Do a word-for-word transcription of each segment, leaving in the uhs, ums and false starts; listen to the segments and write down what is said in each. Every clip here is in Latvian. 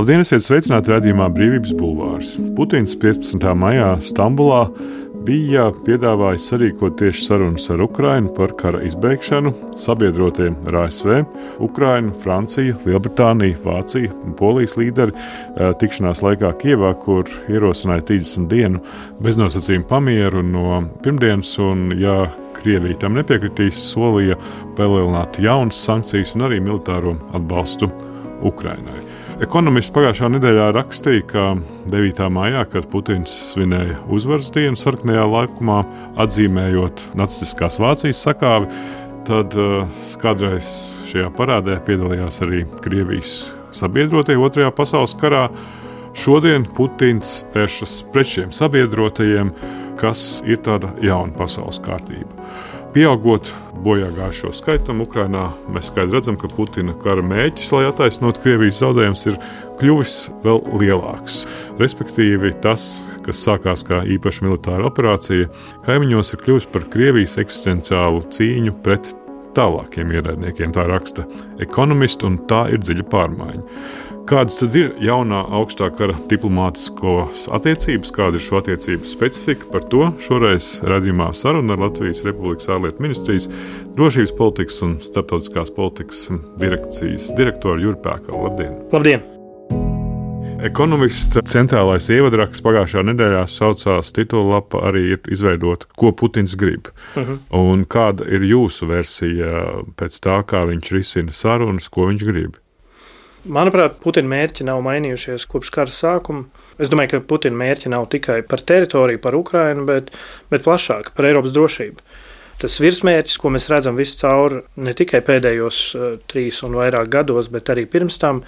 Labdien, esiet sveicināti raidījumā Brīvības bulvārs. Putins piecpadsmitā maijā Stambulā bija piedāvājis sarīkot tieši sarunas ar Ukrainu par kara izbeigšanu. Sabiedrotie ar A S V, Ukraina, Francija, Lielbritānija, Vācija un Polijas līderi tikšanās laikā Kijevā, kur ierosināja trīsdesmit dienu beznosacījumu pamieru no pirmdienas, un, ja Krievija tam nepiekritīs, solīja palielināt jaunas sankcijas un arī militāro atbalstu Ukrainai. Ekonomists pagājušā nedēļā rakstīja, ka devītā maijā, kad Putins svinēja uzvaras dienu sarkanajā laukumā, atzīmējot nacistiskās Vācijas sakāvi, tad uh, kādreiz šajā parādē piedalījās arī Krievijas sabiedrotie otrajā pasaules karā. Šodien Putins vēršas pret šiem sabiedrotajiem, kas ir tāda jauna pasaules kārtība. Pieaugot bojāgājušo skaitam Ukrainā, mēs skaidri redzam, ka Putina kara mēķis, lai attaisnotu Krievijas zaudējumus, ir kļuvis vēl lielāks. Respektīvi, tas, kas sākās kā īpaša militāra operācija, kaimiņos ir kļuvis par Krievijas eksistenciālu cīņu pret tālākiem ienaidniekiem, tā raksta ekonomisti, un tā ir dziļa pārmaiņa. Kādas tad ir jaunā augstā kara diplomātiskās attiecības, kāda ir šo attiecību specifika? Par to šoreiz raidījumā saruna ar Latvijas Republikas ārlietu ministrijas drošības politikas un starptautiskās politikas direkcijas direktoru Juri Pēkalu. Labdien! Labdien! Ekonomists centrālais ievadraksts pagājušā nedēļā saucās titulapa arī ir izveidota, ko Putins grib. Uh-huh. Un kāda ir jūsu versija pēc tā, kā viņš risina sarunas, ko viņš grib? Manuprāt, Putina mērķi nav mainījušies kopš kara sākuma. Es domāju, ka Putina mērķi nav tikai par teritoriju, par Ukrainu, bet, bet plašāk par Eiropas drošību. Tas virsmērķis, ko mēs redzam visu cauri, ne tikai pēdējos uh, trīs un vairāk gados, bet arī pirms tam,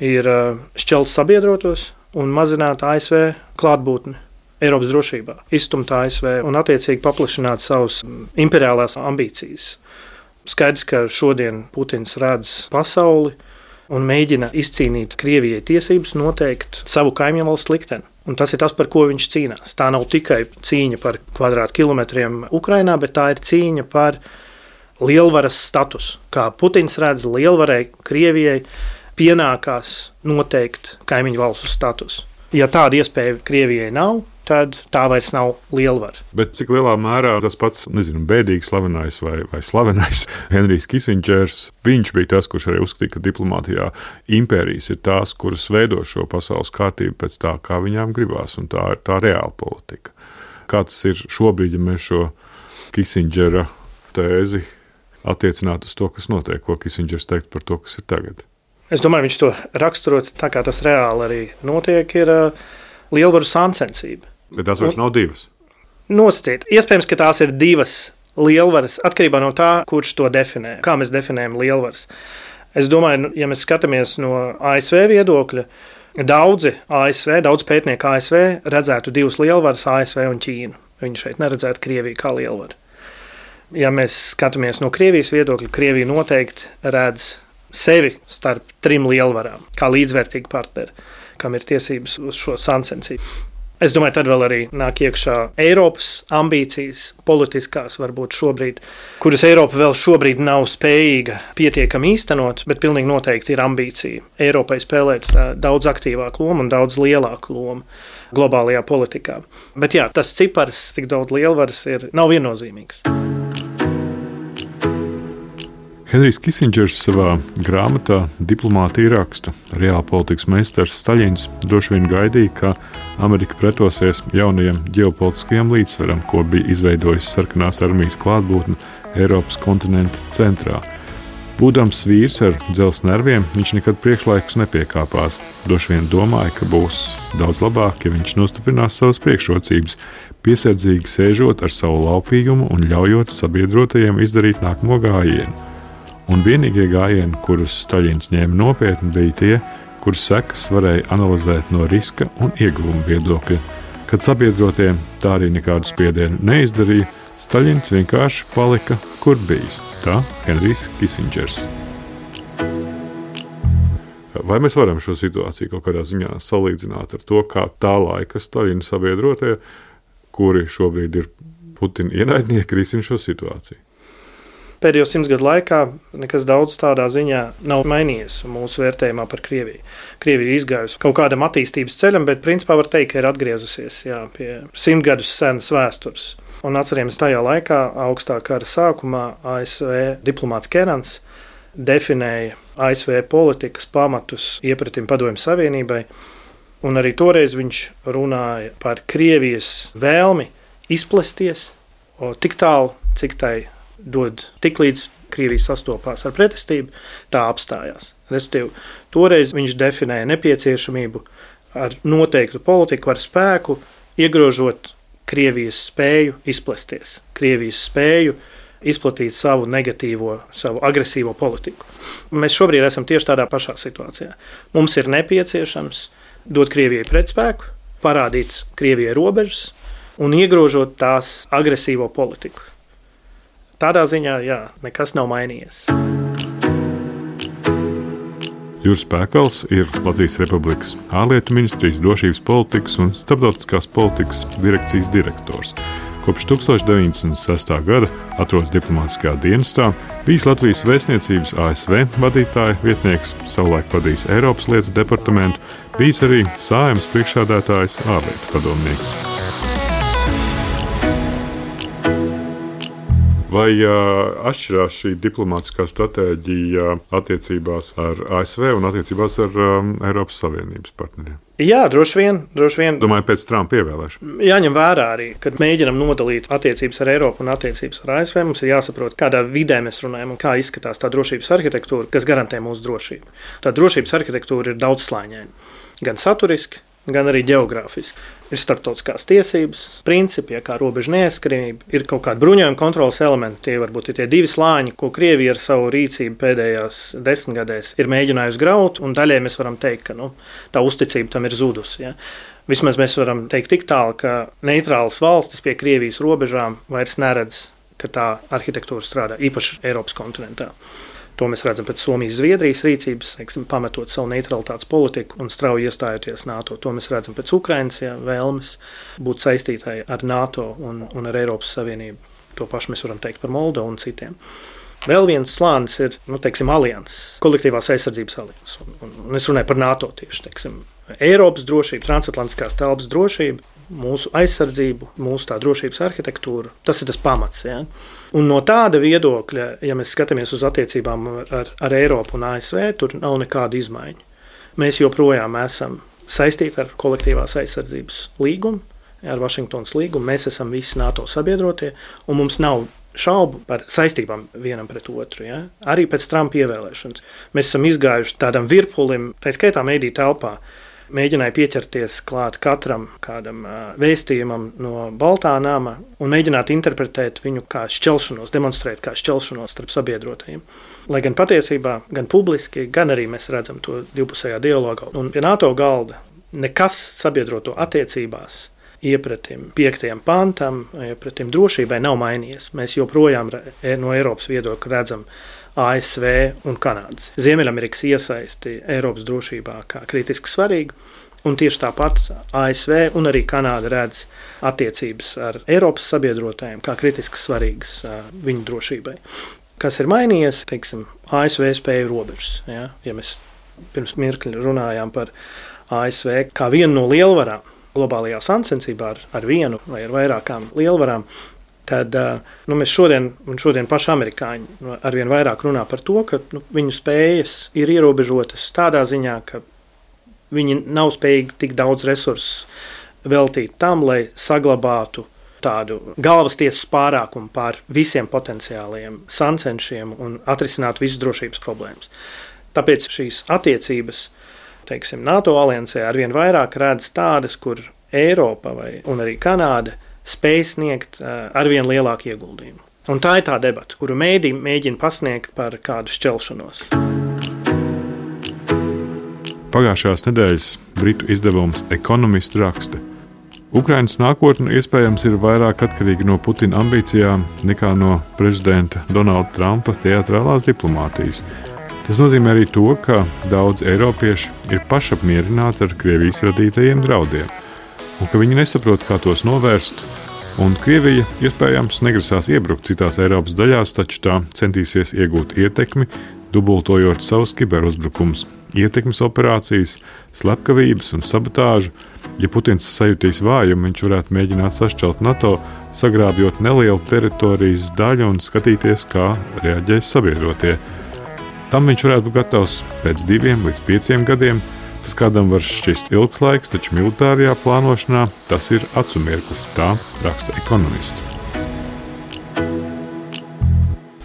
ir uh, šķelt sabiedrotos un mazināt A S V klātbūtni Eiropas drošībā, izstumt A S V un attiecīgi paplašināt savus imperiālās ambīcijas. Skaidrs, ka šodien Putins redz pasauli un mēģina izcīnīt Krievijai tiesības noteikt savu kaimiņu valsts likteni. Un tas ir tas, par ko viņš cīnās. Tā nav tikai cīņa par kvadrātkilometriem Ukrainā, bet tā ir cīņa par lielvaras statusu. Kā Putins redz, lielvarai Krievijai pienākās noteikt kaimiņu valstu statusu. Ja tāda iespēja Krievijai nav, tad tā vairs nav lielvara. Bet cik lielā mērā tas pats, nezinu, bēdīgi slavenais vai, vai slavenais Henrijs Kisindžers, viņš bija tas, kurš arī uzskatīja, ka diplomātijā impērijas ir tās, kuras veido šo pasaules kārtību pēc tā, kā viņām gribās, un tā ir tā reāla politika. Kā tas ir šobrīd, ja mēs šo Kisindžera tēzi attiecinātu uz to, kas notiek, ko Kisindžers teikt par to, kas ir tagad? Es domāju, viņš to raksturot tā, kā tas reāli arī notiek, ir uh, lielvaru sāncensība. Bet tās vairs nav divas. Nosacīt. Iespējams, ka tās ir divas lielvaras, atkarībā no tā, kurš to definē. Kā mēs definējam lielvaras. Es domāju, ja mēs skatāmies no A S V viedokļa, daudzi A S V, daudz pētnieku A S V redzētu divas lielvaras, A S V un Ķīnu. Viņi šeit neredzētu Krieviju kā lielvaru. Ja mēs skatāmies no Krievijas viedokļa, Krievija noteikti redz sevi starp trim lielvarām, kā līdzvērtīgi partneri, kam ir tiesības uz šo sāncensību. Es domāju, tad vēl arī nāk iekšā Eiropas ambīcijas, politiskās varbūt šobrīd, kuras Eiropa vēl šobrīd nav spējīga pietiekami īstenot, bet pilnīgi noteikti ir ambīcija Eiropai spēlēt daudz aktīvāku lomu un daudz lielāku lomu globālajā politikā. Bet jā, tas cipars, cik daudz lielvaras ir, nav viennozīmīgs. Henrijs Kisindžers savā grāmatā Diplomātija raksta, reālpolitikas meistars Staļins droši vien gaidīja, ka Amerika pretosies jaunajam ģeopolitiskajam līdzsvaram, ko bija izveidojis sarkanās armijas klātbūtne Eiropas kontinenta centrā. Būdams vīrs ar dzelzs nerviem, viņš nekad priekšlaikus nepiekāpās. Droši vien domāja, ka būs daudz labāk, ja viņš nostiprinās savas priekšrocības, piesardzīgi sēžot ar savu laupīgumu un ļaujot sabiedrotajiem izdarīt nākamo gājienu. Un vienīgie gājieni, kurus Staļins ņēma nopietni, bija tie, kurus sekas varēja analizēt no riska un ieguvuma viedokļa. Kad sabiedrotie tā arī nekādu spiedienu neizdarīja, Staļins vienkārši palika, kur bijis. Tā Henrijs Kisindžers. Vai mēs varam šo situāciju kaut kādā ziņā salīdzināt ar to, kā tā laika Staļina sabiedrotie, kuri šobrīd ir Putina ienaidnieki, risina šo situāciju? pēdējo simts gadu laikā nekas daudz tādā ziņā nav mainījies mūsu vērtējumā par Krieviju. Krievija ir izgājusi kaut kādam attīstības ceļam, bet principā var teikt, ka ir atgriezusies jā, pie simt gadus senas vēstures. Un atcerieties, tajā laikā, augstā kara sākumā, A S V diplomāts Kenans definēja A S V politikas pamatus iepratim Padomju Savienībai, un arī toreiz viņš runāja par Krievijas vēlmi izplesties tik tālu, cik tai dod, tik līdz Krievija sastopās ar pretestību, tā apstājās. Respektīvi, toreiz viņš definēja nepieciešamību ar noteiktu politiku, ar spēku, iegrožot Krievijas spēju izplesties, Krievijas spēju izplatīt savu negatīvo, savu agresīvo politiku. Mēs šobrīd esam tieši tādā pašā situācijā. Mums ir nepieciešams dot Krievijai pretspēku, parādīt Krievijai robežas un iegrožot tās agresīvo politiku. Tādā ziņā, jā, nekas nav mainījies. Juris Pēkals ir Latvijas Republikas ārlietu ministrijas drošības politikas un starptautiskās politikas direkcijas direktors. Kopš tūkstoš deviņsimt sestā gada atrodas diplomātiskajā dienestā, bijis Latvijas vēstniecības A S V vadītāja vietnieks, savulaik vadījis Eiropas lietu departamentu, bijis arī Saeimas priekšsēdētājs ārlietu padomnieks. Vai uh, atšķirās šī diplomātiskā stratēģija attiecībās ar A S V un attiecībās ar um, Eiropas Savienības partneriem? Jā, droši vien. Droši vien. Domāju, pēc Trumpa ievēlēšanas. Jāņem vērā arī, kad mēģinam nodalīt attiecības ar Eiropu un attiecības ar A S V, mums ir jāsaprot, kādā vidē mēs runājam un kā izskatās tā drošības arhitektūra, kas garantē mūsu drošību. Tā drošības arhitektūra ir daudzslāņaina, gan saturiski, gan arī ģeogrāfiski. Ir starptautiskās tiesības, principi, ja kā robežu neaizskaramība, ir kaut kādi bruņojuma kontrolas elementi, tie varbūt ir tie divi slāņi, ko Krievija ar savu rīcību pēdējās desmitgadēs ir mēģinājusi graut, un daļai mēs varam teikt, ka nu, tā uzticība tam ir zudusi. Ja. Vismaz mēs varam teikt tik tālu, ka neitrālas valstis pie Krievijas robežām vairs neredz, ka tā arhitektūra strādā, īpaši Eiropas kontinentā. To mēs redzam pēc Somijas, Zviedrijas rīcības, teiksim, pametot savu neutralitātes politiku un strauji iestājoties NATO. To mēs redzam pēc Ukrainas jā, vēlmes būt saistītai ar NATO un, un ar Eiropas Savienību. To pašu mēs varam teikt par Moldovu un citiem. Vēl viens slānis ir, nu, teiksim, alianses, kolektīvās aizsardzības alianses. Un, un, un es runāju par NATO tieši, teiksim, Eiropas drošība, transatlantiskās telpas drošība, mūsu aizsardzību, mūsu tā drošības arhitektūru. Tas ir tas pamats. Ja? Un no tāda viedokļa, ja mēs skatāmies uz attiecībām ar, ar Eiropu un A S V, tur nav nekāda izmaiņa. Mēs joprojām esam saistīti ar kolektīvās aizsardzības līgumu, ar Vašingtonas līgumu. Mēs esam visi NATO sabiedrotie, un mums nav šaubu par saistībām vienam pret otru. Ja? Arī pēc Trumpa ievēlēšanas. Mēs esam izgājuši tādam virpulim, tā skaitā mediju telpā, mēģināja pieķerties klāt katram kādam vēstījumam no Baltā nama un mēģināt interpretēt viņu kā šķelšanos, demonstrēt kā šķelšanos starp sabiedrotajiem. Lai gan patiesībā, gan publiski, gan arī mēs redzam to divpusējā dialogā. Un pie NATO galda nekas sabiedroto attiecībās iepratim piektajam pantam, iepratim drošībai nav mainījies. Mēs joprojām no Eiropas viedokļa redzam A S V un Kanādas. Ziemeļamerikas iesaisti Eiropas drošībā kā kritiski svarīgi, un tieši tāpat A S V un arī Kanāda redz attiecības ar Eiropas sabiedrotājiem kā kritiski svarīgas viņu drošībai. Kas ir mainījies, teiksim, A S V spēju robežas. Ja, ja mēs pirms mirkļa runājām par A S V kā vienu no lielvarām globālajā sacensībā ar, ar vienu vai ar vairākām lielvarām, tad nu, mēs šodien, un šodien paši amerikāņi arvien vairāk runā par to, ka nu, viņu spējas ir ierobežotas tādā ziņā, ka viņi nav spējīgi tik daudz resursu veltīt tam, lai saglabātu tādu galvas tiesas pārākumu pār visiem potenciālajiem sancenšiem un atrisinātu visas drošības problēmas. Tāpēc šīs attiecības, teiksim, NATO aliansē arvien vairāk redz tādas, kur Eiropa vai, un arī Kanāda spēj sniegt arvien lielāku ieguldījumu. Un tā ir tā debata, kuru mēdī mēģina pasniegt par kādu šķelšanos. Pagājušās nedēļas britu izdevums Economist raksta: Ukrainas nākotne iespējams ir vairāk atkarīga no Putina ambīcijām nekā no prezidenta Donalda Trumpa teatrālās diplomātijas. Tas nozīmē arī to, ka daudz eiropieši ir pašapmierināti ar Krievijas radītajiem draudiem, un ka viņi nesaprot, kā tos novērst, Un Krievija iespējams negrasās iebrukt citās Eiropas daļās, taču tā centīsies iegūt ietekmi, dubultojot savus kiberuzbrukumus, ietekmes operācijas, slepkavības un sabotāžu. Ja Putins sajutīs vājumu, viņš varētu mēģināt sašķelt NATO, sagrābjot nelielu teritorijas daļu un skatīties, kā reaģēs sabiedrotie. Tam viņš varētu būt gatavs pēc diviem līdz pieciem gadiem. Tas kādam var šķist ilgs laiks, taču militārajā plānošanā tas ir acu mirklis, tā raksta ekonomisti.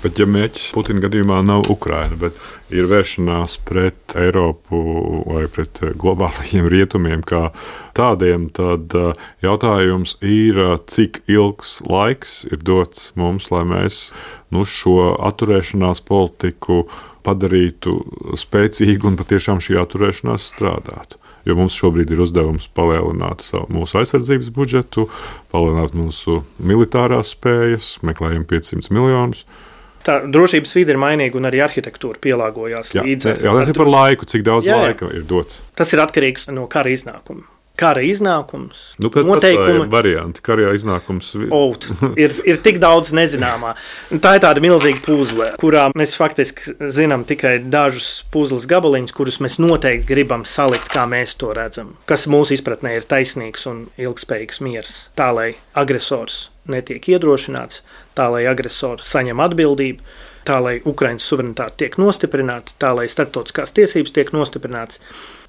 Bet ja mērķis Putina gadījumā nav Ukraina, bet ir vēršanās pret Eiropu vai pret globālajiem rietumiem kā tādiem, tad jautājums ir, cik ilgs laiks ir dots mums, lai mēs nu, šo atturēšanās politiku padarītu spēcīgu un patiešām šī atturēšanās strādātu. Jo mums šobrīd ir uzdevums palielināt savu, mūsu aizsardzības budžetu, palielināt mūsu militārās spējas, meklējam piecsimt miljonus. Tā drošības vide ir mainīga un arī arhitektūra pielāgojās jā, līdz ar. Jā, tas ir par laiku, cik daudz jā, jā. laika ir dots. Tas ir atkarīgs no kara iznākuma. Kara iznākums, nu, noteikumi. Varianti, kara iznākums. Oh, ir, ir tik daudz nezināmā. Tā ir tāda milzīga puzle, kurā mēs faktiski zinām tikai dažus puzles gabaliņus, kurus mēs noteikti gribam salikt, kā mēs to redzam. Kas mūsu izpratnē ir taisnīgs un ilgspējīgs miers. Tā, lai agresors netiek iedrošināts, tā, lai agresors saņem atbildību, tā, lai Ukrainas suverenitāte tiek nostiprināta, tā, lai starptautiskās tiesības tiek nostiprinātas,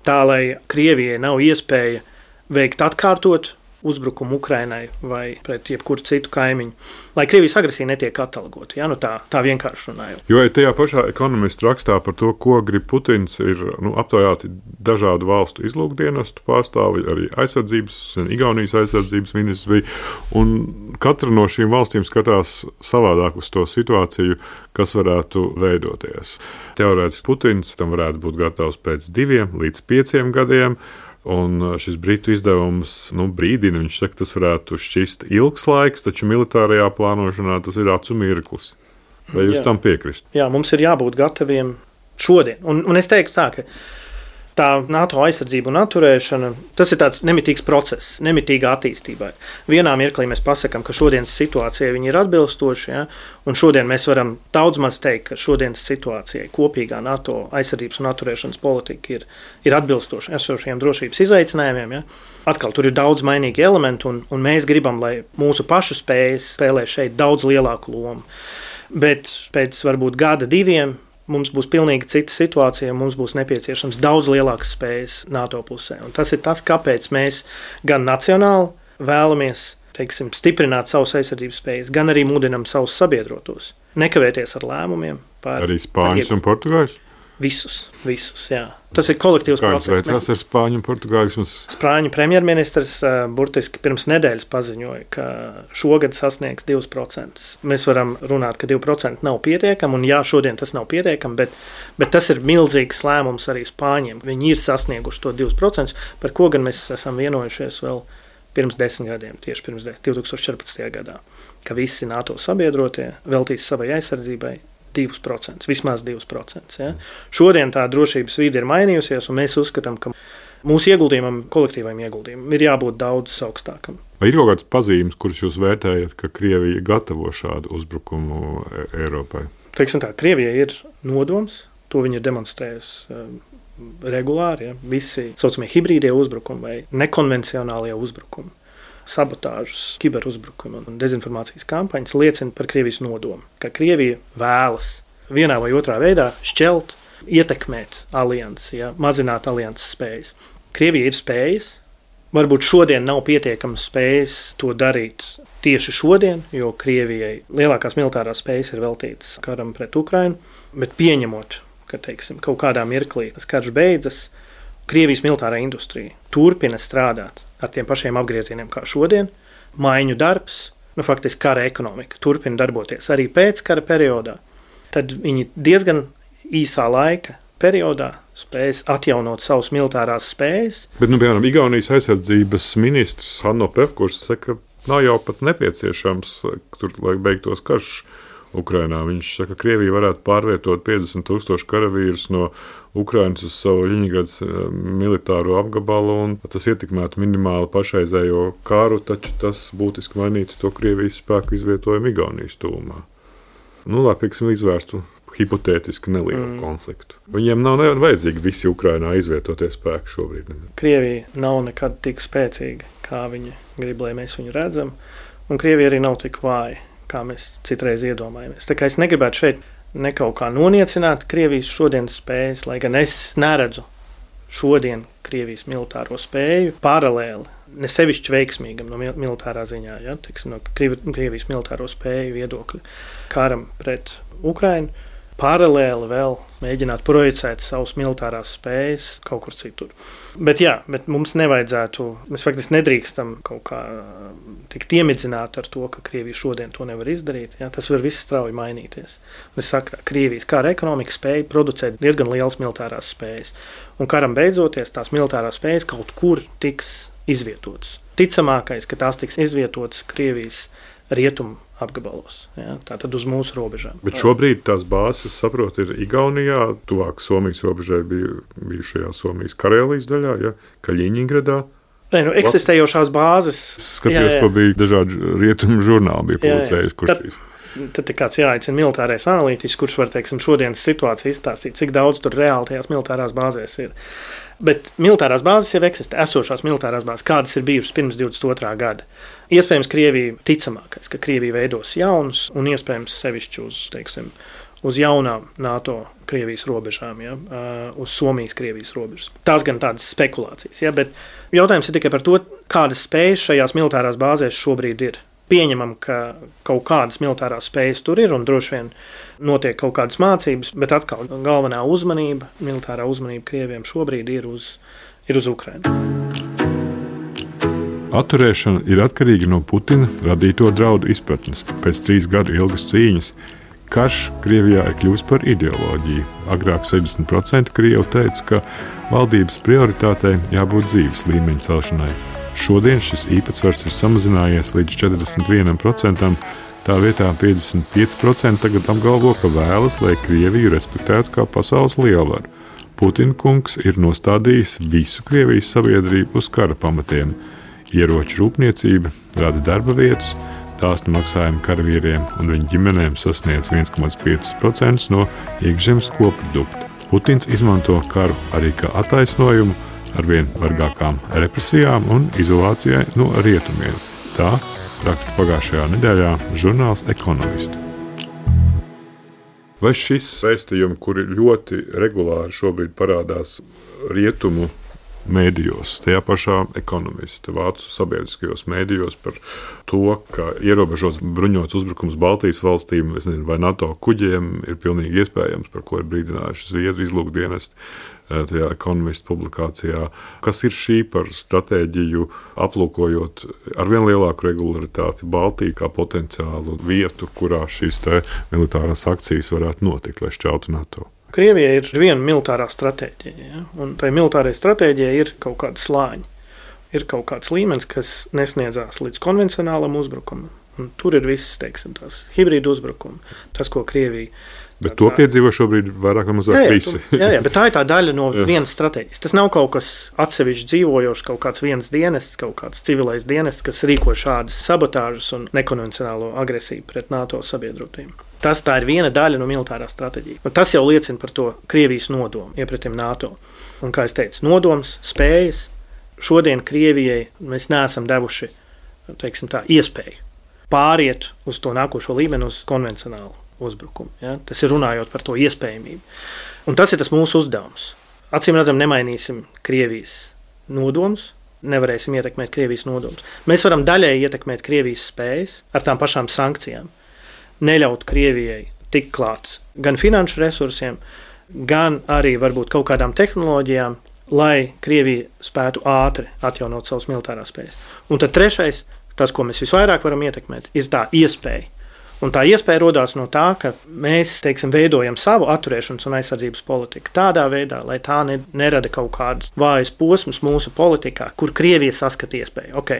tā, lai Krievijai nav iespēja veikt atkārtot uzbrukumu Ukrainai vai pret jebkuru citu kaimiņu, lai Krievijas agresija netiek atalgota. Ja? Nu tā, tā vienkārši runājot. Jo tajā pašā ekonomistu rakstā par to, ko grib Putins, ir nu, aptaujāti dažādu valstu izlūkdienestu pārstāvi, arī aizsardzības, Igaunijas aizsardzības ministrs bija, un katra no šīm valstīm skatās savādāk uz to situāciju, kas varētu veidoties. Teorētiski Putins tam varētu būt gatavs pēc diviem līdz pieciem gadiem, un šis britu izdevums nu, brīdina, viņš saka, tas varētu šķist ilgs laiks, taču militārajā plānošanā tas ir acu mirklis. Vai jūs Jā. tam piekrist? Jā, mums ir jābūt gataviem šodien. Un, un es teiktu tā, ka tā NATO aizsardzība un atturēšana, tas ir tāds nemitīgs process, nemitīga attīstībai. Vienā mirklī mēs pasakām, ka šodienas situācijai viņi ir atbilstoši, ja? Un šodien mēs varam daudz maz teikt, ka šodienas situācijai kopīgā NATO aizsardzības un atturēšanas politika ir, ir atbilstoši esošajiem drošības izaicinājumiem. Ja? Atkal tur ir daudz mainīgi elementi, un, un mēs gribam, lai mūsu pašu spējas spēlē šeit daudz lielāku lomu. Bet pēc varbūt gada diviem mums būs pilnīgi cita situācija, mums būs nepieciešams daudz lielākas spējas NATO pusē. Un tas ir tas, kāpēc mēs gan nacionāli vēlamies, teiksim, stiprināt savus aizsardzības spējas, gan arī mudinam savus sabiedrotos. Nekavēties ar lēmumiem. Par, arī Spāņus un Portugāļus? Visus, visus, jā. Tas ir kolektīvs process. Kā jums veicās ar Spāņu un Portugāļus? Spāņu premjerministrs uh, burtiski pirms nedēļas paziņoja, ka šogad sasniegs divus procentus. Mēs varam runāt, ka divi procenti nav pietiekami, un jā, šodien tas nav pietiekami, bet, bet tas ir milzīgs lēmums arī Spāņiem. Viņi ir sasnieguši to divus procentus, par ko gan mēs esam vienojušies vēl pirms desmit gadiem, tieši pirms divi tūkstoši četrpadsmitajā gadā, ka visi NATO sabiedrotie veltīs savai aizsardzībai divus procentus, vismaz divus procentus. Ja? Šodien tā drošības vide ir mainījusies, un mēs uzskatām, ka mūsu ieguldījumam, kolektīvajam ieguldījumam, ir jābūt daudz augstākam. Vai ir kaut kāds pazīmes, kurus jūs vērtējat, ka Krievija gatavo šādu uzbrukumu Eiropai? Teiksim tā, Krievija ir nodoms, to viņa ir demonstrējusi um, regulāri, ja? Visi saucamie hibrīdie uzbrukumi vai nekonvencionālie uzbrukumi. Sabotāžas, kiberuzbrukumi un dezinformācijas kampaņas liecina par Krievijas nodomu, ka Krievija vēlas vienā vai otrā veidā šķelt, ietekmēt aliansi, ja, mazināt alianses spējas. Krievija ir spējas, varbūt šodien nav pietiekamas spējas to darīt tieši šodien, jo Krievijai lielākās militārās spējas ir veltītas karam pret Ukrainu, bet pieņemot, ka, teiksim, kaut kādā mirklī tas karš beidzas, Krievijas militārā industrija turpina strādāt ar tiem pašiem apgriezieniem kā šodien, maiņu darbs, nu faktiski kara ekonomika turpina darboties arī pēc kara periodā, tad viņi diezgan īsā laika periodā spējas atjaunot savus militārās spējas. Bet, nu, piemēram, Igaunijas aizsardzības ministrs Hanno Pevkurs saka, ka nav jau pat nepieciešams tur, lai beigtos karš Ukrainā. Viņš saka, ka Krievija varētu pārvietot piecdesmit tūkstoši karavīrus no Ukrainas uz savu Ļeņingradas militāro apgabalu, un tas ietekmētu minimāli pašreizējo kāru, taču tas būtiski mainītu to Krievijas spēku izvietojumu Igaunijas tūmā. Nu, lai, pieksim, izvērstu hipotētiski nelielu mm. konfliktu. Viņiem nav vajadzīgi visi Ukrainā izvietotie spēki šobrīd. Krievija nav nekad tik spēcīga, kā viņi grib, lai mēs viņu redzam, un Krievija arī nav tik vāja, kā mēs citreiz iedomājamies. Tā kā es negribētu šeit ne kaut kā noniecināt Krievijas šodienas spējas, lai gan es neredzu šodien Krievijas militāro spēju paralēli, ne sevišķi veiksmīgam no militārā ziņā, ja, teiksim, no Krievijas militāro spēju viedokļa karam pret Ukrainu, paralēli vēl mēģināt projicēt savus militārās spējas kaut kur citur. Bet jā, bet mums nevajadzētu, mēs faktiski nedrīkstam kaut kā tikt iemidzināti ar to, ka Krievija šodien to nevar izdarīt. Jā, tas var viss strauji mainīties. Un es saku tā, Krievijas kara ekonomika spēja producēt diezgan lielas militārās spējas. Un karam beidzoties, tās militārās spējas kaut kur tiks izvietotas. Ticamākais, ka tās tiks izvietotas Krievijas rietumu apgabalos, ja, tātad uz mūsu robežām. Bet šobrīd tās bāzes, saprot, ir Igaunijā, tuvāk Somijas robežai bija bijušajā Somijas Karēlijas daļā, ja, Kaļiņingradā. Nē, nu, eksistējošās bāzes. Skatījos, jā, jā. Ko bija dažādi rietumu žurnāli bija publicējuši, kurš šīs. Tad ir kāds jāaicina militārais analītiķis, kurš var, teiksim, šodienas situāciju izstāstīt, cik daudz tur reāli tajās militārās bāzēs ir. Bet militārās bāzes jau eksistē, esošās militārās bāzes, kādas ir bijušas pirms divdesmit otrā gada. Iespējams, Krievija ticamākais, ka Krievija veidos jaunas un iespējams sevišķi uz, teiksim, uz jaunām NATO Krievijas robežām, ja, uz Somijas Krievijas robežas. Tās gan tādas spekulācijas, ja, bet jautājums ir tikai par to, kādas spējas šajās militārās bāzēs šobrīd ir. Pieņemam, ka kaut kādas militārās spējas tur ir un droši vien notiek kaut kādas mācības, bet atkal galvenā uzmanība, militārā uzmanība Krieviem šobrīd ir uz, ir uz Ukrainu. Atturēšana ir atkarīga no Putina radīto draudu izpratnes. Pēc trīs gadu ilgas cīņas karš Krievijā ir kļuvis par ideoloģiju. Agrāk sešdesmit procenti Krievu teica, ka valdības prioritātei jābūt dzīves līmeņa celšanai. Šodien šis īpatsvars ir samazinājies līdz četrdesmit viens procents, tā vietā piecdesmit pieci procenti tagad apgalvo, ka vēlas, lai Krieviju respektētu kā pasaules lielvaru. Putina kungs ir nostādījis visu Krievijas sabiedrību uz kara pamatiem. Ieroču rūpniecība rada darba vietas, dāsnu maksājumu karavīriem un viņu ģimenēm sasniedz viens komats pieci procenti no iekšzemes koprodukta. Putins izmanto karu arī kā attaisnojumu ar vien vargākām represijām un izolācijai no rietumiem. Tā raksta pagājušajā nedēļā žurnāls Economist. Vai šis vēstījumi, kuri ļoti regulāri šobrīd parādās rietumu mēdījos, tajā pašā Economist, vācu sabiedriskajos mēdījos par to, ka ierobežots bruņots uzbrukums Baltijas valstīm, es nezinu, vai NATO kuģiem ir pilnīgi iespējams, par ko ir brīdinājuši Zviedru izlūkdienesti tajā Economist publikācijā. Kas ir šī par stratēģiju, aplūkojot ar vien lielāku regularitāti Baltiju kā potenciālu vietu, kurā šīs te militārās akcijas varētu notikt, lai šķeltu NATO? Krievijai ir viena militārā stratēģija, ja? Un tai militārai stratēģijai ir kaut kāda slāņa. Ir kaut kāds līmenis, kas nesniedzās līdz konvencionālam uzbrukumam. Un tur ir viss, teiksim, tās hibrīdu uzbrukumi. Tas, ko Krievija... Bet to piedzīvo šobrīd vairāk vai mazāk visi. Jā, jā, bet tā ir tā daļa no vienas stratēģijas. Tas nav kaut kas atsevišķi dzīvojošs, kaut kāds viens dienests, kaut kāds civilais dienests, kas rīko šādas sabotāžas un nekonvencionālo agresiju pret NATO sabiedrotajiem. Tas tā ir viena daļa no militārās stratēģijas. Un tas jau liecina par to Krievijas nodomu iepretim NATO. Un, kā es teicu, nodoms, spējas. Šodien Krievijai mēs neesam devuši, teiksim tā, iespēju pāriet uz to nākošo līmeni, uz konvencionālu uzbrukumu. Ja? Tas ir runājot par to iespējamību. Un tas ir tas mūsu uzdevums. Acīm redzam, nemainīsim Krievijas nodomus, nevarēsim ietekmēt Krievijas nodomus. Mēs varam daļēji ietekmēt Krievijas spējas ar tām pašām sankcijām. Neļaut Krievijai tikt klāt gan finanšu resursiem, gan arī varbūt kaut kādām tehnoloģijām, lai Krievija spētu ātri atjaunot savas militārās spējas. Un tad trešais, tas, ko mēs visvairāk varam ietekmēt, ir tā iespēja. Un tā iespēja rodās no tā, ka mēs, teiksim, veidojam savu atturēšanas un aizsardzības politiku tādā veidā, lai tā ne, nerada kaut kādas vājas posmas mūsu politikā, kur Krievija saskata iespēju. Ok,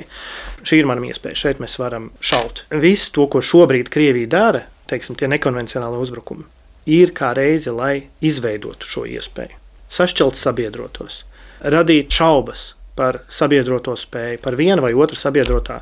šī ir mana iespēja, šeit mēs varam šaut. Viss to, ko šobrīd Krievija dara, teiksim, tie nekonvencionāli uzbrukumi, ir kā reize, lai izveidotu šo iespēju, sašķelt sabiedrotos, radīt šaubas par sabiedroto spēju, par vienu vai otru sabiedrotā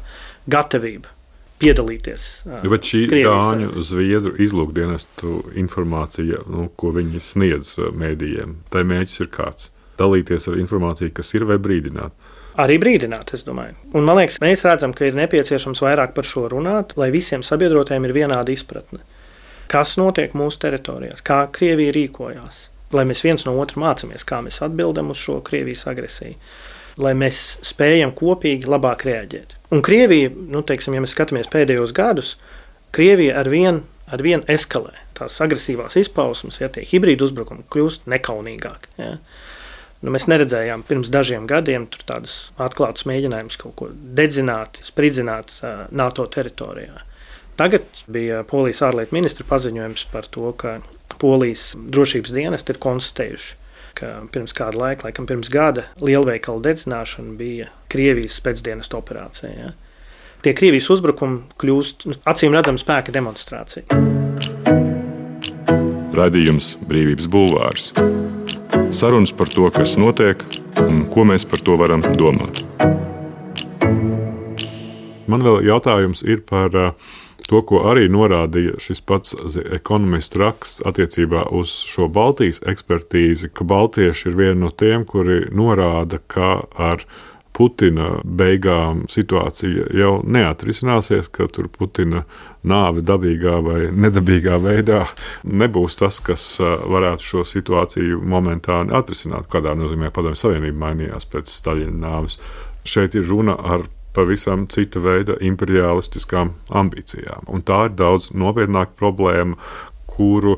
gatavību piedalīties. Bet šī Dāņu Zviedru izlūkdienestu informācija, nu, ko viņi sniedz mēdījiem, tai mērķis ir kāds? Dalīties ar informāciju, kas ir, vai brīdināt? Arī brīdināt, es domāju. Un man liekas, mēs redzam, ka ir nepieciešams vairāk par šo runāt, lai visiem sabiedrotajiem ir vienāda izpratne. Kas notiek mūsu teritorijās, kā Krievija rīkojās, lai mēs viens no otra mācāmies, kā mēs atbildam uz šo Krievijas agresiju, lai mēs spējam kopīgi labāk reaģēt. Un Krievija, nu, teiksim, ja mēs skatāmies pēdējos gadus, Krievija ar vien, ar vien eskalē tās agresīvās izpausmes, ja tie hibrīdu uzbrukumi kļūst nekaunīgāki. Ja. Nu, mēs neredzējām pirms dažiem gadiem tur tādus atklātus mēģinājumus kaut ko dedzināt, spridzināt uh, NATO teritorijā. Tagad bija Polijas ārlietu ministra paziņojums par to, ka Polijas drošības dienesti ir konstatējuši, ka pirms kāda laika, laikam pirms gada, lielveikalu dedzināšana bija Krievijas spēcdienestu operācija. Ja? Tie Krievijas uzbrukumi kļūst acīm redzama spēka demonstrācija. Raidījums Brīvības bulvārs. Sarunas par to, kas notiek un ko mēs par to varam domāt. Man vēl jautājums ir par to, ko arī norādīja šis pats ekonomists raksts attiecībā uz šo Baltijas ekspertīzi, ka baltieši ir viena no tiem, kuri norāda, ka ar Putina beigām situācija jau neatrisināsies, ka tur Putina nāve dabīgā vai nedabīgā veidā nebūs tas, kas varētu šo situāciju momentāni atrisināt. Kādā nozīmē Padomju Savienība mainījās pēc Staļina nāves. Šeit ir runa ar pavisam cita veida imperialistiskām ambīcijām. Un tā ir daudz nopietnāka problēma, kuru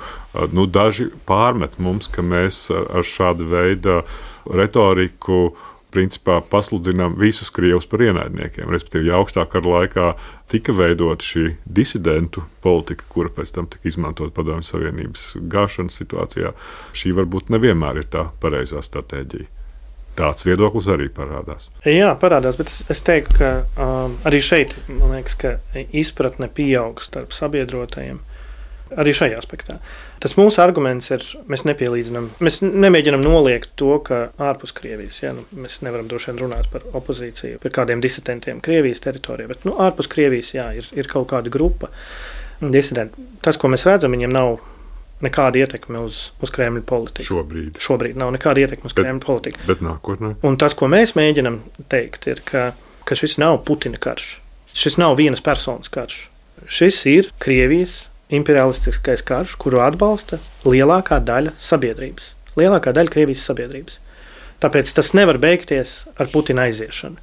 nu, daži pārmet mums, ka mēs ar šādu veidu retoriku principā pasludinām visus krievus par ienaidniekiem. Respektīvi, ja augstā kara laikā tika veidota šī disidentu politika, kura pēc tam tika izmantot Padomju Savienības gāšanas situācijā, šī varbūt nevienmēr ir tā pareizā stratēģija. Tāds viedoklis arī parādās. Jā, parādās, bet es, es teiktu, ka um, arī šeit, man liekas, ka izpratne pieaug starp sabiedrotajiem. Arī šajā aspektā. Tas mūsu arguments ir, mēs nepielīdzinām, mēs nemēģinām noliegt to, ka ārpus Krievijas, ja, nu, mēs nevaram droši vien runāt par opozīciju, par kādiem disidentiem Krievijas teritorijā, bet nu, ārpus Krievijas, jā, ir, ir kaut kāda grupa disidenti. Tas, ko mēs redzam, viņiem nav nekāda ietekme uz, uz Kremļa politiku. Šobrīd. Šobrīd nav nekāda ietekme uz bet, Kremļa politiku. Bet nākotnē. Un tas, ko mēs mēģinam teikt, ir, ka, ka šis nav Putina karš. Šis nav vienas personas karš. Šis ir Krievijas imperialistiskais karš, kuru atbalsta lielākā daļa sabiedrības. Lielākā daļa Krievijas sabiedrības. Tāpēc tas nevar beigties ar Putina aiziešanu.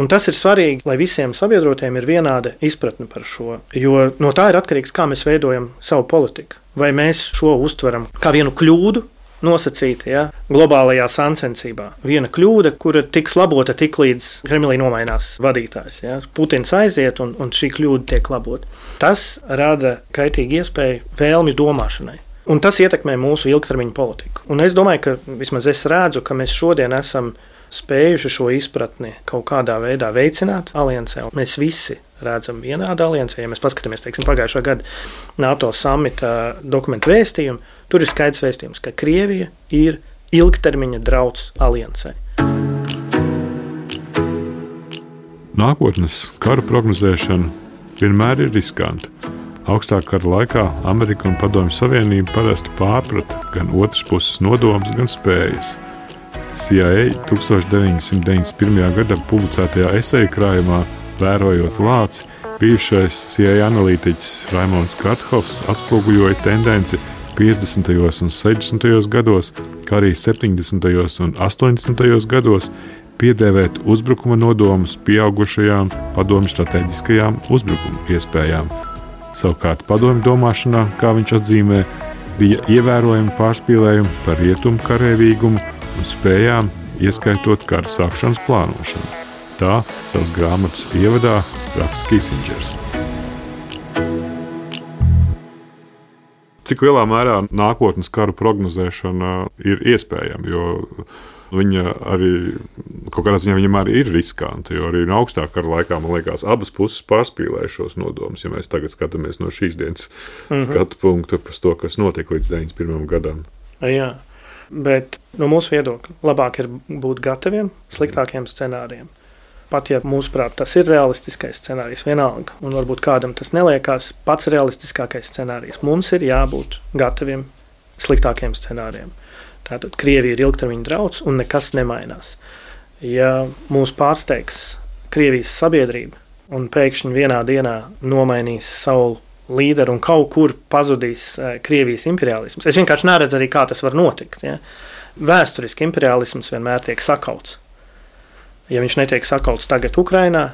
Un tas ir svarīgi, lai visiem sabiedrotiem ir vienāda izpratne par šo, jo no tā ir atkarīgs, kā mēs veidojam savu politiku. Vai mēs šo uztveram kā vienu kļūdu nosacīta, ja, globālajā sacensībā. Viena kļūda, kura tiks labota tik līdz Kremlī nomainās vadītājs. Ja. Putins aiziet un, un šī kļūda tiek labota. Tas rada kaitīgu iespēju vēlmi domāšanai. Un tas ietekmē mūsu ilgtermiņa politiku. Un es domāju, ka vismaz es redzu, ka mēs šodien esam spējuši šo izpratni kaut kādā veidā veicināt aliansē. Mēs visi redzam vienādu aliansē. Ja mēs paskatāmies, teiksim, pagājušā gada NATO samita dokumentu vēstījumu, tur ir skaidrs vēstījums, ka Krievija ir ilgtermiņa drauds aliansē. Nākotnes kara prognozēšana vienmēr ir riskanta. Augstā kara laikā Amerika un Padomju Savienība parasti pārprata gan otras puses nodomus, gan spējas. C I A deviņdesmit deviņdesmit pirmajā gadā publicētajā eseja krājumā Vērojot lāci, bijušais C I A analītiķis Raimonds Karthovs atspoguļoja tendenci piecdesmitajos un sešdesmitajos gados, kā arī septiņdesmitajos un astoņdesmitajos gados piedēvēt uzbrukuma nodomus pieaugušajām padomju strateģiskajām uzbrukuma iespējām. Savukārt padomju domāšanā, kā viņš atzīmē, bija ievērojami pārspīlējumi par rietumu karavīgumu un spējām, ieskaitot kara sākšanas plānošanu. Tā savas grāmatas ievadā raksta Kisingers. Cik lielā mērā nākotnes karu prognozēšana ir iespējama, jo Viņa arī kaut kādā ziņā viņam arī ir riskanti, jo arī no augstākā kara laikā, man liekas, abas puses pārspīlēja šos nodomus. Ja mēs tagad skatāmies no šīs dienas mm-hmm. skatu punkta par to, kas notika līdz deviņdesmit pirmajam gadam. Jā, bet no mūsu viedokļa labāk ir būt gataviem sliktākiem scenārijiem. Pat ja mūsuprāt tas ir realistiskais scenārijs vienalga, un varbūt kādam tas neliekās pats realistiskākais scenārijs, mums ir jābūt gataviem sliktākiem scenārijiem. Tātad Krievija ir ilgtermiņa drauds un nekas nemainās. Ja mūs pārsteigs Krievijas sabiedrība un pēkšņi vienā dienā nomainīs savu līderu un kaut kur pazudīs Krievijas imperialisms, es vienkārši neredzu arī, kā tas var notikt. Ja? Vēsturiski imperialisms vienmēr tiek sakauts. Ja viņš netiek sakauts tagad Ukrainā,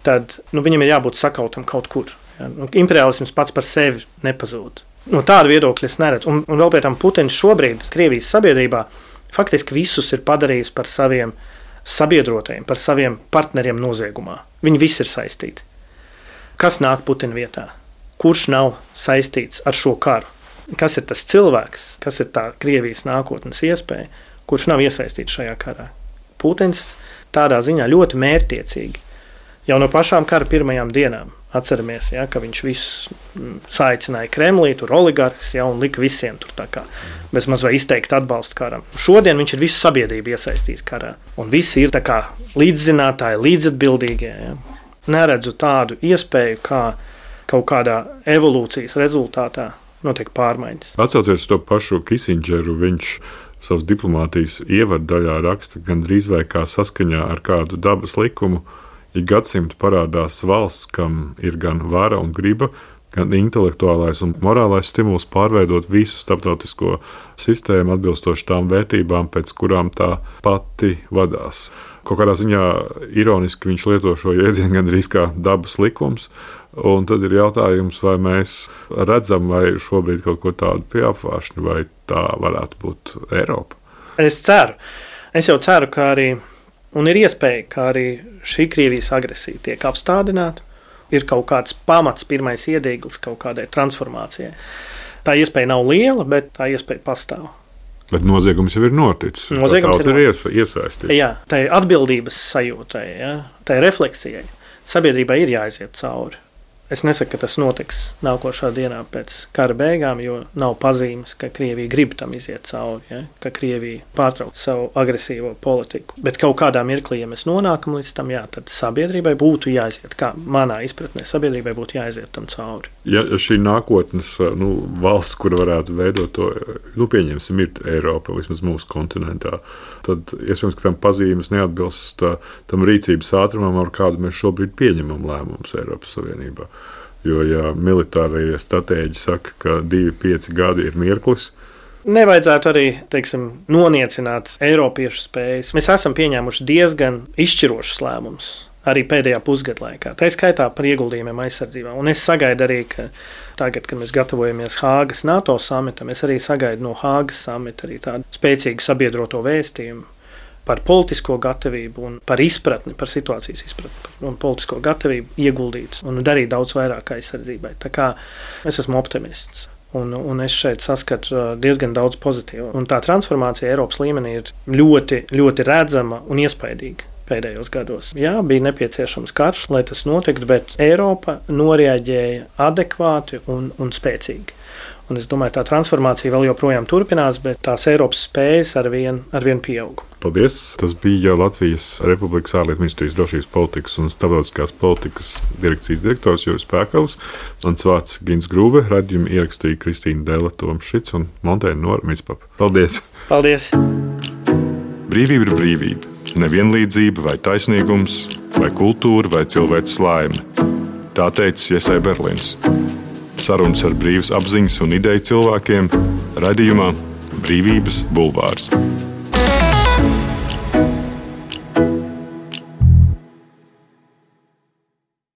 tad nu, viņam ir jābūt sakautam kaut kur. Ja? Nu, imperialisms pats par sevi nepazūd. No tāda viedokļa es neredzu. Un, un vēl pēc tam Putins šobrīd Krievijas sabiedrībā faktiski visus ir padarījis par saviem sabiedrotajiem, par saviem partneriem noziegumā. Viņi visi ir saistīti. Kas nāk Putina vietā? Kurš nav saistīts ar šo karu? Kas ir tas cilvēks, kas ir tā Krievijas nākotnes iespēja, kurš nav iesaistīts šajā karā? Putins tādā ziņā ļoti mērķtiecīgi. Jau no pašām kara pirmajām dienām atceramies, ja, ka viņš visus saicināja Kremlī, tur oligarhs, ja, un lika visiem tur tā kā bez maz vai izteikt atbalstu karam. Šodien viņš ir visu sabiedrību iesaistījis karā. Un visi ir tā kā līdzzinātāji, līdzatbildīgie. Ja. Neredzu tādu iespēju, kā kaut kādā evolūcijas rezultātā notiek pārmaiņas. Atcaucoties to pašu Kisindžeru, viņš savas diplomātijas ievaddaļā raksta gandrīz vai kā saskaņā ar kādu dabas likumu. Ik gadsimtu parādās valsts, kam ir gan vara un griba, gan intelektuālais un morālais stimuls pārveidot visu starptautisko sistēmu atbilstoši tām vērtībām, pēc kurām tā pati vadās. Kaut kādā ziņā ironiski viņš lieto šo jēdzienu gandrīz kā dabas likums, un tad ir jautājums, vai mēs redzam, vai šobrīd kaut ko tādu pie apvāršņa, vai tā varētu būt Eiropa. Es ceru. Es jau ceru, ka arī un ir iespēja, ka arī šī Krievijas agresija tiek apstādināta, ir kaut kāds pamats, pirmais iedīglis kaut kādai transformācijai. Tā iespēja nav liela, bet tā iespēja pastāv. Bet noziegums jau ir noticis. Noziegums ir, ir iesaistīts. Jā, tā ir atbildības sajūtai, ja? Tā ir refleksijai. Sabiedrībai ir jāiziet cauri. Es nesaku, ka tas notiks nākošā dienā pēc kara beigām, jo nav pazīmes, ka Krievija grib tam iziet cauri, ja? Ka Krievija pārtrauc savu agresīvo politiku. Bet kaut kādā mirklī, ja mēs nonākam līdz tam, jā, tad sabiedrībai būtu jāiziet, kā manā izpratnē, sabiedrībai būtu jāiziet tam cauri. Ja šī nākotnes nu, valsts, kura varētu veidot to, nu, pieņemsim, ir Eiropa, vismaz mūsu kontinentā, tad iespējams, ka tam pazīmes neatbilst tam rīcības ātrumam, ar kādu mēs šobrīd pieņemam lēmumus Eiropas Savienībā. Jo, ja militārie stratēģi saka, ka divi pieci gadi ir mirklis, nevajadzētu arī, teiksim, noniecināt eiropiešu spējas. Mēs esam pieņēmuši diezgan izšķirošus lēmumus arī pēdējā pusgada laikā. Tā ir skaitā par ieguldījumiem aizsardzībā. Un es sagaidu arī, ka tagad, kad mēs gatavojamies Hāgas NATO samitam, es arī sagaidu no Hāgas samita arī tādu spēcīgu sabiedroto vēstījumu par politisko gatavību un par izpratni, par situācijas izpratni un politisko gatavību ieguldīt un darīt daudz vairāk aizsardzībai. Tā kā es esmu optimists. Un, un es šeit saskatu diezgan daudz pozitīvu. Un tā transformācija Eiropas līmenī ir ļoti, ļoti redzama un iespaidīga pēdējos gados. Jā, bija nepieciešams karš, lai tas notiktu, bet Eiropa noreaģēja adekvāti un, un spēcīgi. Un es domāju, tā transformācija vēl joprojām turpinās, bet tās Eiropas spējas arvien, arvien pieaug. Paldies! Tas bija Latvijas Republikas ārlietu ministrijas drošības politikas un starptautiskās politikas direkcijas direktors Juris Pēkals. Mans vārds Gins Grūbe, raidījumu ierakstīja Kristīna Dēle, Toms Šits un Montēna Nora Mitspapa. Paldies! Paldies! Brīvība ir brīvība. Nevienlīdzība vai taisnīgums, vai kultūra, vai cilvēces laime. Tā teica Jesai Berlins. Sarunas ar brīvas apziņas un ideju cilvēkiem raidījumā Brīvības bulvārs.